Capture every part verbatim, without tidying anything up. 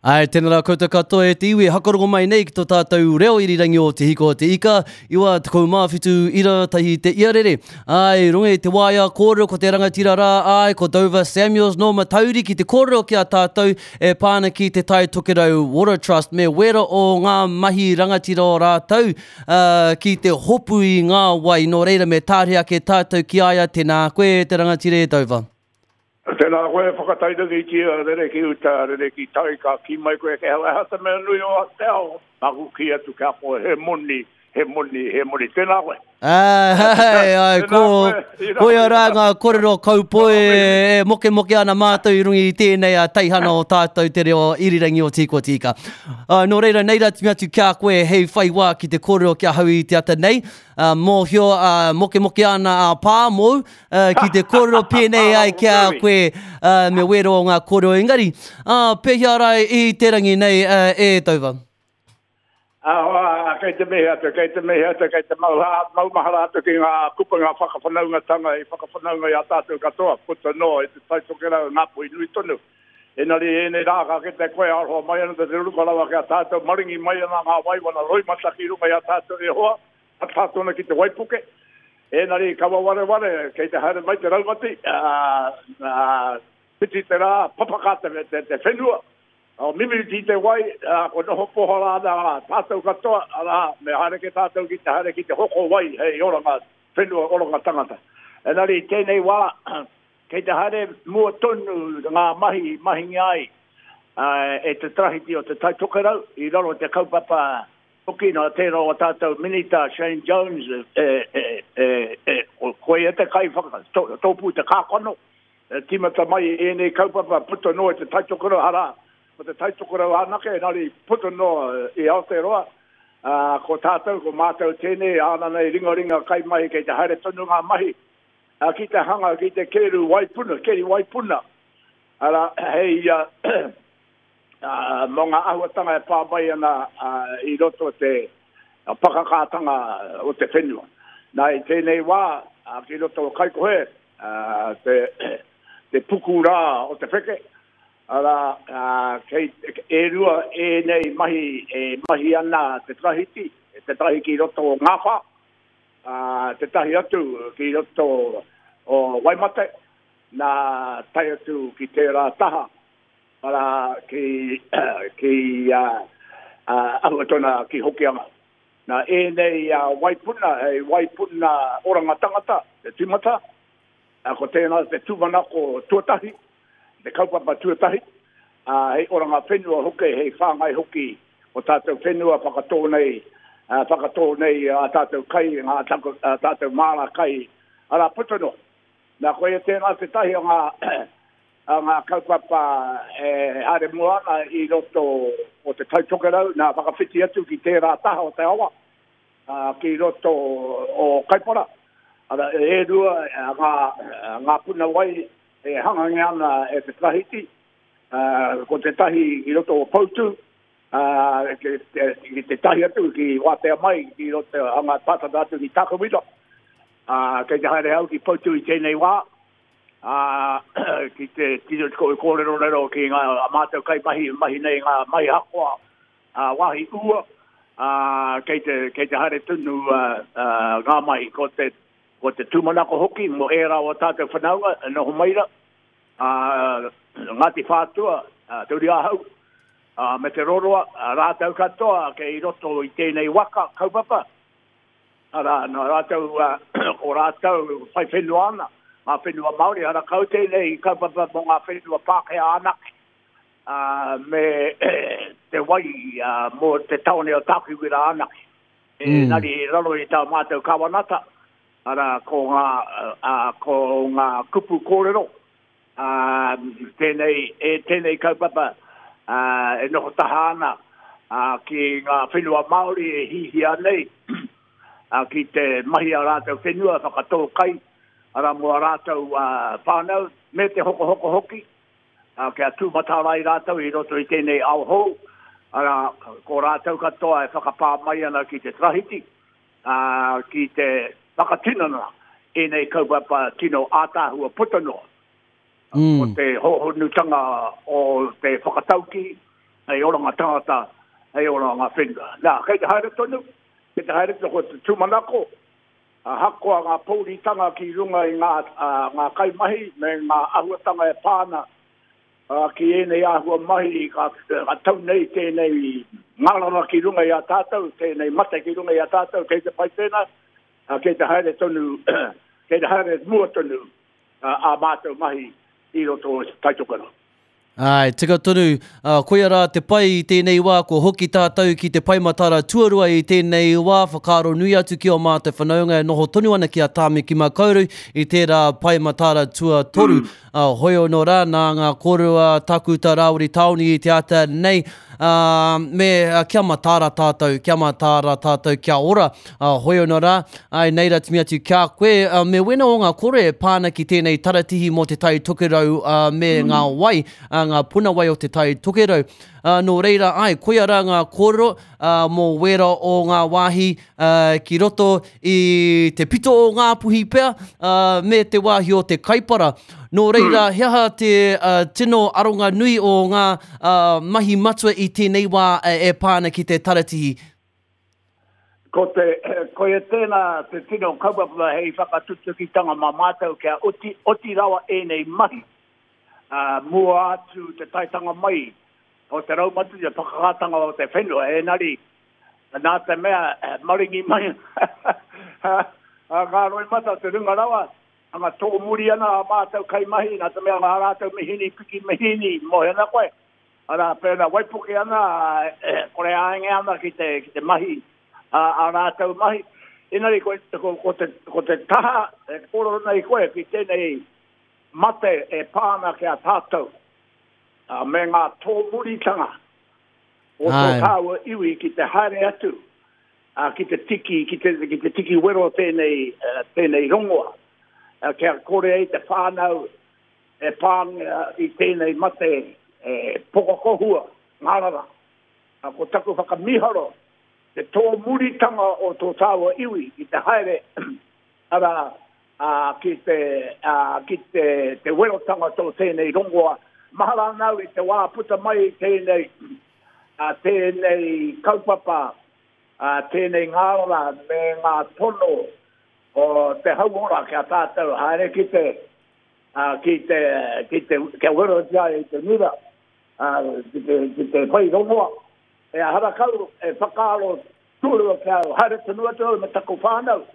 Ai, tēnā rā koutou katoa e te iwi, hakarongo mai nei ki tō tātou reo irirangi o Te Hiko o Te Ika, iwa tekau mā whitu ira tahi te iarere. Ai, runga i te waea kōrero ko te rangatira rā, ai, ko Dover Samuels nō Matauri ki te kōrero ki a tātou e pā ana ki te Tai Tokerau Water Trust me wera o ngā mahi rangatira o rātou uh, ki te hopu i ngā wai. Nō reira me tāre ake tātou ki a ia, tēnā koe te rangatira e Dover. Tēnā koe whakatairangitia, rere ki uta, rere ki tai, ka ki mai koe ke hau, aha te mea nui o te ao, nāku ki atu kia koe, he moni, he moni, he moni, tēnā koe. Ai, ai, ko, koia rā ngā kōrero kaupoi e moke moke ana mātou i runga i tēnei a teihana o tātou te reo irirangi o Te Hiko o Te Ika. Uh, nō reira, nei rā timi atu kia koe hei whai wā ki te kōrero ki ahau i te ata nei. Uh, mōhio, uh, moke moke ana a pā mōu, uh, ki te kōrero pēnei ai kia koe uh, me wero o ngā kōrero engari. Uh, pēhea rā i te rangi nei uh, e Dover? Ah, kei te mihi atu, kei te mihi atu, kei te maumahara atu ki ngā kupu ngā whakawhanaungatanga i whakawhanaunga i a tātou katoa, puta noa i te Tai Tokerau, Ngāpuhi nui tonu. Engari ēnei rā ka kite koe aroha mai ana te ruka rawa ki a tātou, maringi mai ana ngā waiwana roimata ki runga i a tātou e hoa, a tātou ana ki te waipuke. Engari kawa wareware, kei te haere mai te raumati, uh, uh, piti te rā, papaka te, te, te whenua, o mimiti te wai, uh, ko noho pohara ana tātou katoa, arā, me haere ke tātou ki te haere ki te hoko wai, hei oranga whenua, oranga tangata. Engari tēnei wā, kei te haere mua tonu ngā mahi, mahingi ai uh, e te trahiti o te Tai Tokerau, i raro te kaupapa hoki nā tērā o tātou minita Shane Jones, e, e, e, e, koe e te kai whaka, to, tōpū te kākano, e, tīmata mai ēnei kaupapa puta noa i te Tai Tokerau, arā, ko te Tai Tokerau anake, engari puta noa i Aotearoa, uh, ko tātou, ko mātou tēnei, āna nei ringaringa kai mahi, kei te haere tonu ngā mahi, uh, ki te hanga, ki te keru waipuna, keri waipuna, ara, hei, uh, uh, mō ngā āhuatanga e pā mai ana uh, i roto te uh, pakakātanga o te whenua. Nā, i tēnei wā, uh, ki roto o Kaikohe, uh, te, te puku rā o te wheke, arā, uh, kei, e rua ēnei mahi e mahi ana te trahiti, te tahi ki roto o Ngāwhā, uh, te tahi atu ki roto o Waimate, nā tae atu ki tērā taha, arā, ki, ki uh, uh, Ahuatona ki Hokianga. Nā ēnei uh, waipuna, hei waipuna oranga tangata, te tīmata, uh, ko tēnā te tūmanako tuatahi, te kaupapa tuatahi, uh, hei oranga whenua hoki, hei whāngai hoki o tātou whenua whakatō nei, uh, whakatō nei a tātou kai, ngā tātou, uh, tātou māra kai, arā puta noa. Nā koia tēnā te tahi o ngā, a ngā kaupapa e haere mua ana i roto o te Tai Tokerau, nā whakawhiti atu ki tērā taha o te awa, uh, ki roto o Kaipara. Ara, e rua ngā, ngā puna wai e hangange ana e te trahiti, uh, ko te tahi i roto o Poutū, uh, ki, te, ki te tahi atu ki Wātea mai, ki roto hanga tātata atu ki Takawira. Uh, kei te haere au ki Poutū i tēnei wā, uh, ki te tino kōrero rero ki ngā mātou kai mahi, mahi nei ngā mahi hakoa, uh, wāhi ua, uh, kei te, kei te haere tonu uh, uh, ngā mahi, ko te, ko te tūmanako hoki mō ērā o tātou whanaunga, e noho maira, uh, Ngāti Whātua, uh, Te Uri Ahau, uh, me te Roroa, uh, rātou katoa kei roto i tēnei waka kaupapa. Arā, nā rātou, uh, o rātou whai whenua ana, ngā whenua Māori, ara kau tēnei kaupapa mō ngā whenua Pākehā anake, uh, me te wai uh, mō te taone o Tākiwira anake. E, mm. Nari i raro i tā mātou kawanata, arā, ko ngā, uh, ko ngā kupu kōrero, uh, tēnei, e, tēnei kaupapa uh, e noho taha ana uh, ki ngā whenua Māori e hihia nei, uh, ki te mahi a rātou whenua, whakatō kai, arā mō a rātou uh, whānau, me te hokohoko hoki, uh, kia tūmatarai rātou i roto i tēnei ao hou, arā, ko rātou katoa e whakapā mai ana ki te trahiti, uh, ki te whakatinana ēnei kaupapa tino ātāhua puta noa. Mm. Ko te hohonutanga o te whakatauki, hei oranga tangata, hei oranga whenua. Nā, kei te haere tonu, kei te haere tonu ko te tūmanako, ahakoa ngā pōuritanga ki runga i ngā, uh, ngā kaimahi me ngā ahuatanga e pāna uh, ki ēnei āhua mahi ka, ka tau nei tēnei ngārara ki runga i a tātou, tēnei mate ki runga i a tātou, kei te pai tēnā, uh, kei te haere tonu, kei te haere mua tonu uh, a mātou mahi i roto o Tai Tokerau. Ai, tika tonu, uh, koia rā te pai i tēnei wā, ko hoki tātou ki te pae matara tuarua i tēnei wā, whakaaro nui atu ki o mātou whanaunga e noho tonu ana ki a Tāmaki Makaurau i tērā pae matara tuatoru. Mm. Uh, hoi ono rā, nā ngā kōrero a Takuta Rāwiri Taoni i te ata nei, uh, me uh, kia matara tātou, kia matara tātou, kia ora. Uh, hoi ono rā, ai, nei rā timi atu kia koe, uh, me wena o ngā kore e pāna ki tēnei taratihi mō te Tai Tokerau uh, me mm. ngā wai, uh, ngā puna wai o te Tai Tokerau. Uh, nō reira, ai, koia rā ngā kōrero uh, mō wera o ngā wāhi uh, ki roto i te pito o ngā puhi pea uh, me te wāhi o te Kaipara. Nō reira, he aha te uh, tino aronga nui o ngā uh, mahi matua i tēnei wā e pāna ki te taratihi? Ko te, koia tēnā te tino kaupapa hei whakatutukitanga mā mātou kia oti, oti rawa ēnei mahi. Uh, mua atu te taitanga mai o te raumati te whakakātanga o te whenua, enari, nā te mea maringi mai ngā roimata te runga rawa, anga tōmuri ana a mātou kaimahi, nā te mea ngā rātou mihini, piki mihini, mohe ana koe. Ara, pēnā waipuke ana, eh, kore āenge ana ki te, ki te mahi, a, a rātou mahi. Engari, ko, ko, ko, te, ko te taha, e kōrero nei koe ki tēnei mate e pāna ki a tātou, uh, me ngā tōmuritanga o tō tāua iwi ki te haere atu, uh, ki te tiki, ki te, ki te tiki wero tēnei, uh, tēnei rongoa, uh, kia kore ai te whānau e pāngia i tēnei mate e pokokohua, ngārara. Uh, ko taku whakamiharo, te tōmuritanga o tō tāua iwi ki te haere, ara, uh, ki te, uh, ki te, te werotanga tō tēnei rongoa. Mahara nau i te wā puta mai tēnei, uh, tēnei kaupapa, uh, tēnei ngārara me ngā tono o te hauora kia tātou haere ki te, uh, ki te, ki te, kia werotia i te ngira, uh, ki te, ki te whai rongoa. E harakau e whakaaro tūrua kia haere tonu atu au me taku whānau.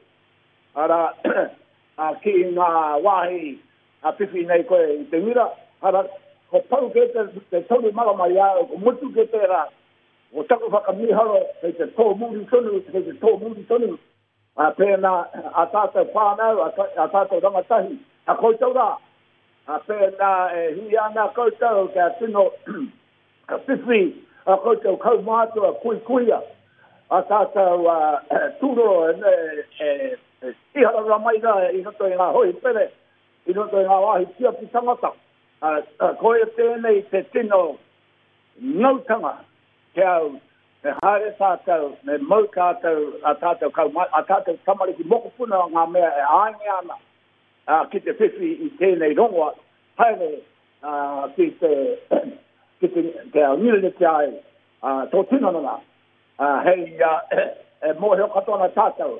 Ara, uh, ki ngā wāhi a whiwhi nei koe i te ngira, ara, ko pau ke te, te toru marama i au, ko mutu ke tērā, ko taku whakamiharo, kei te tōmuri tonu, kei te tōmuri tonu, a pēnā a tātou whānau, a, a tātou rangatahi, a koutou rā, a pēnā e hui ana koutou kia tino ka whiwhi a koutou kaumātua, kui kuia, a tātou uh, tūroro e, e, e, iharara mai rā i roto i ngā hohipere, i roto i ngā wāhi tiaki tangata. Uh, uh, koia tēnei te tino ngautanga ki au, me haere tātou, me mau tātou, a tātou, kauma, a tātou tamariki mokopuna ngā mea e ānge ana uh, ki te whiwhi i tēnei rongoa, haere uh, ki te, ki te, kia ngirene ai uh, tō tinana nā. Uh, hei uh, e mōhio katoa ana tātou,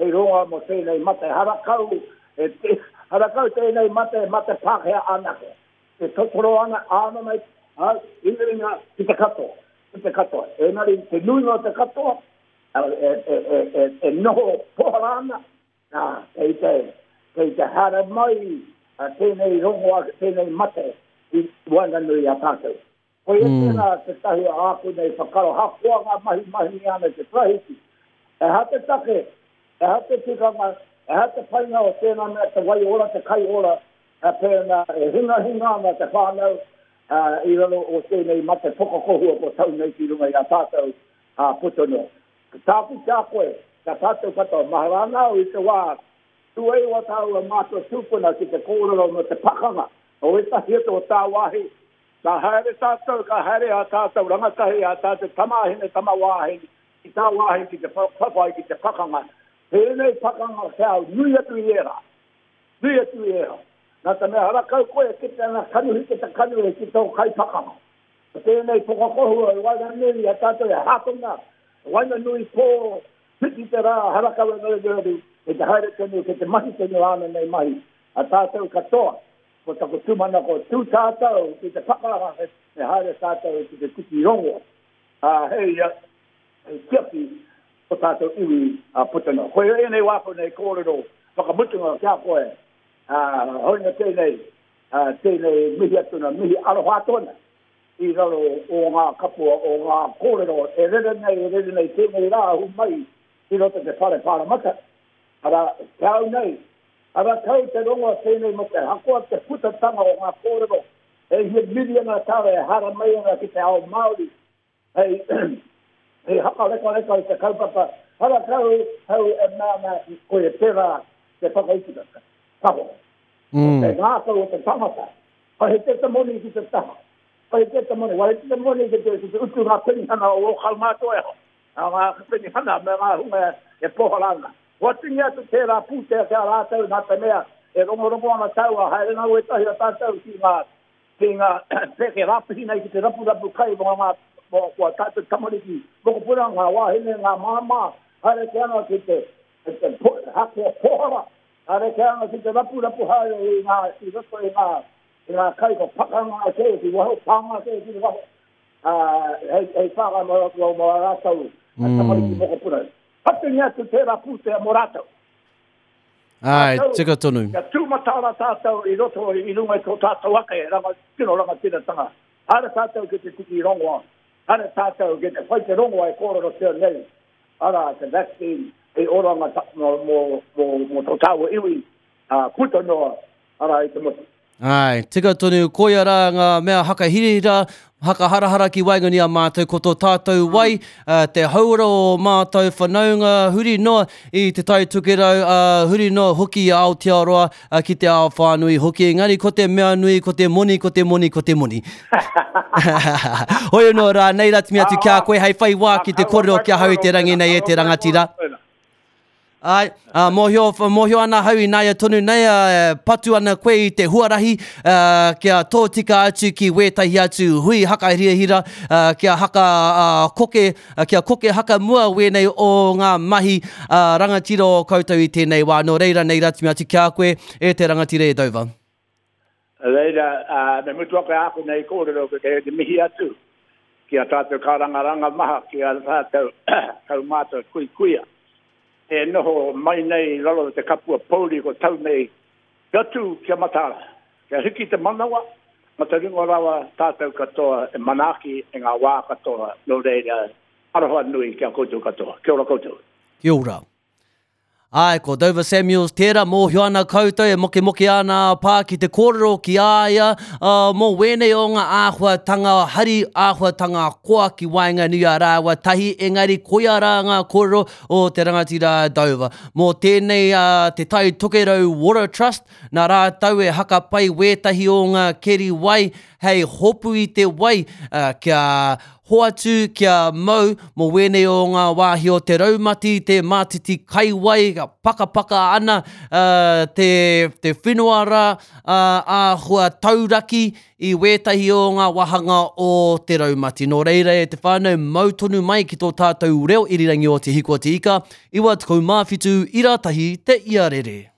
hei rongoa mō tēnei mate harakau, e te, harakau tēnei mate, mate Pākehā anake. E totoro ana, āna nei, uh, ingaringa ki te katoa, ki te katoa. Engari, te nuinga o te katoa, e, e, e, e, e noho pohara ana, nā, kei te, kei te haere mai uh, tēnei rongoa, tēnei mate i waenganui a tātou. Koia mm. tēnā te tahi o āku nei whakaro, hakoa ngā mahi mahi ana te tarahiti. E ha te take, e ha te tikanga, e ha te painga o tēnā mea te wai ora, te kai ora, e pēnā e hinga hinga ana te whānau uh, i raro o tēnei mate pokokohua ko tau nei ki runga i a tātou uh, puta noa. Ko tāku kia koe, kia tātou katoa, mahara ana au i te wā, tuei o tāua mātua tūpuna ki te kōrero mo te pakanga, o ētahi atu o tāwāhi, ka haere tātou, ka haere a tātou rangatahi, a tātou tamāhine, tamawāhine, ki tāwāhi ki te whawhai ki te pakanga. Tēnei pakanga kia au, nui atu i ērā, nui atu i ērā. Nā te mea harakau koe ki te ana kanuhi ki te kanuhi ki tō kai pakanga. Ko tēnei pokakohua i waenganui i a tātou e hātonga, waenganui pō, piki te rā, harakawe ngaruaru, e te haere tonu, ke te mahi tonu āna nei mahi, a tātou katoa, ko taku tūmanako tū tātou ki te pakanga, e haere tātou ki te tiki rongo, a hei, hei tiaki ko tātou iwi a puta noa. Koe ēnei wāku nei kōrero whakamutunga kia koe, a, hoina tēnei, a, tēnei mihi atuna, mihi aroha atu ana, i raro o ngā kapua, o ngā kōrero, e rere nei, e rere nei, tēnei rā ahu mai i roto te whare pāramata. Ara, te au nei, ara kau te rongo tēnei mo te hakoa te putatanga o ngā kōrero, e hia miriana tāra e hara mai ana ki te ao Māori, hei, hei hakarekareka i te kaupapa, hara kau hau e mana koe e tērā te whakaitika. Kaho. Mm. Te ngākau o te tangata, ka he te te moni ki te taha. Ka he te te moni, wai te moni ki te, ki te utu ngā penihana o o kaumātua e ho. Ngā penihana me ngā hunga e poharanga. Hoatungi atu tērā pūtea kia rātou nā te mea e rongorongo ana tau a haere ngā wetahi a tātou ki ngā, ki ngā peke rāpihi nei ki te rapurapu kai mō ngā mō kua tātou tamariki mokopuna, ngā wāhine, ngā māmā, haere ke ana ki te, te, te po, hakea pohara, haere ke ana ki te rapurapu haere i ngā, i roto i ngā, i ngā kai ko pakanga ke, ki waho, pānga ke, ki waho, uh, hei, hei whānga mō, mō, mō rātou mm. tamariki mokopuna. Hatungi atu tērā pūtea mō rātou. Ai, tika tonu. Kia tūmatara tātou i roto i runga i tō tātou ake, ranga, tino rangatiratanga. Haere tātou ki te tiki rongoa, haere tātou ki te whai te rongoa e kōrero tea nei. Ara, te vaccine e oranga ta, mō, mō, mō, mō tō tāua iwi, uh, puta noa, ara i te motu. Ai, tika tonu, koia rā ngā mea hakahirihira, hakaharahara ki waenganui a mātou, ko tō tātou wai, uh, te hauora o mātou whanaunga, huri noa i te Tai Tokerau, uh, huri noa hoki i Aotearoa, uh, ki te ao whānui hoki. Engari ko te mea nui, ko te moni, ko te moni, ko te moni. Hoi anō rā, nei rā timi atu kia koe, hei whai wā ki te kōrero kia hau i te rangi nei e te rangatira. Ai, uh, mōhio, mōhio ana hau i naia tonu nei, uh, patu ana koe i te huarahi, uh, kia tōtika atu ki wētahi atu hui hakahirahira, uh, kia haka uh, koke, uh, kia koke haka mua wēnei o ngā mahi uh, rangatira o koutou i tēnei wā. Nō reira nei rā timi atu kia koe e te rangatira e Dover. Reira, uh, me mutu ake āku nei kōrero ke te mihi atu ki a tātou kārangaranga maha, ki a tātou kaumātua kui kuia. E noho mai nei raro te kapua pouri ko tau nei, kia tū, kia matara. Kia hiki te manawa, ma te ringo rawa tātou katoa e manaaki e ngā wā katoa, nō reira, aroha nui kia koutou katoa. Kia ora koutou. Kia ora. Ai, ko Dover Samuels tērā, mōhio ana koutou e mokemoke ana a pā ki te kōrero ki a ia, uh, mō wēnei o ngā āhuatanga hari, āhuatanga koa ki waenganui a rāua tahi, engari koia rā ngā kōrero o te rangatira Dover. Mō tēnei uh, te Tai Tokerau Water Trust, nā rātou e hakapai wētahi o ngā keri wai hei hopu i te wai, uh, kia hoatu, kia mau, mō wēnei o ngā wāhi o te raumati, te mātiti kaiwai, pakapaka ana uh, te, te whenua rā, uh, āhua tauraki i wētahi o ngā wāhanga o te raumati. Nō reira e te whānau mau tonu mai ki tō tātou reo irirangi o Te Hiku o Te Ika, iwa tekau mā whitu, ira tahi te iarere.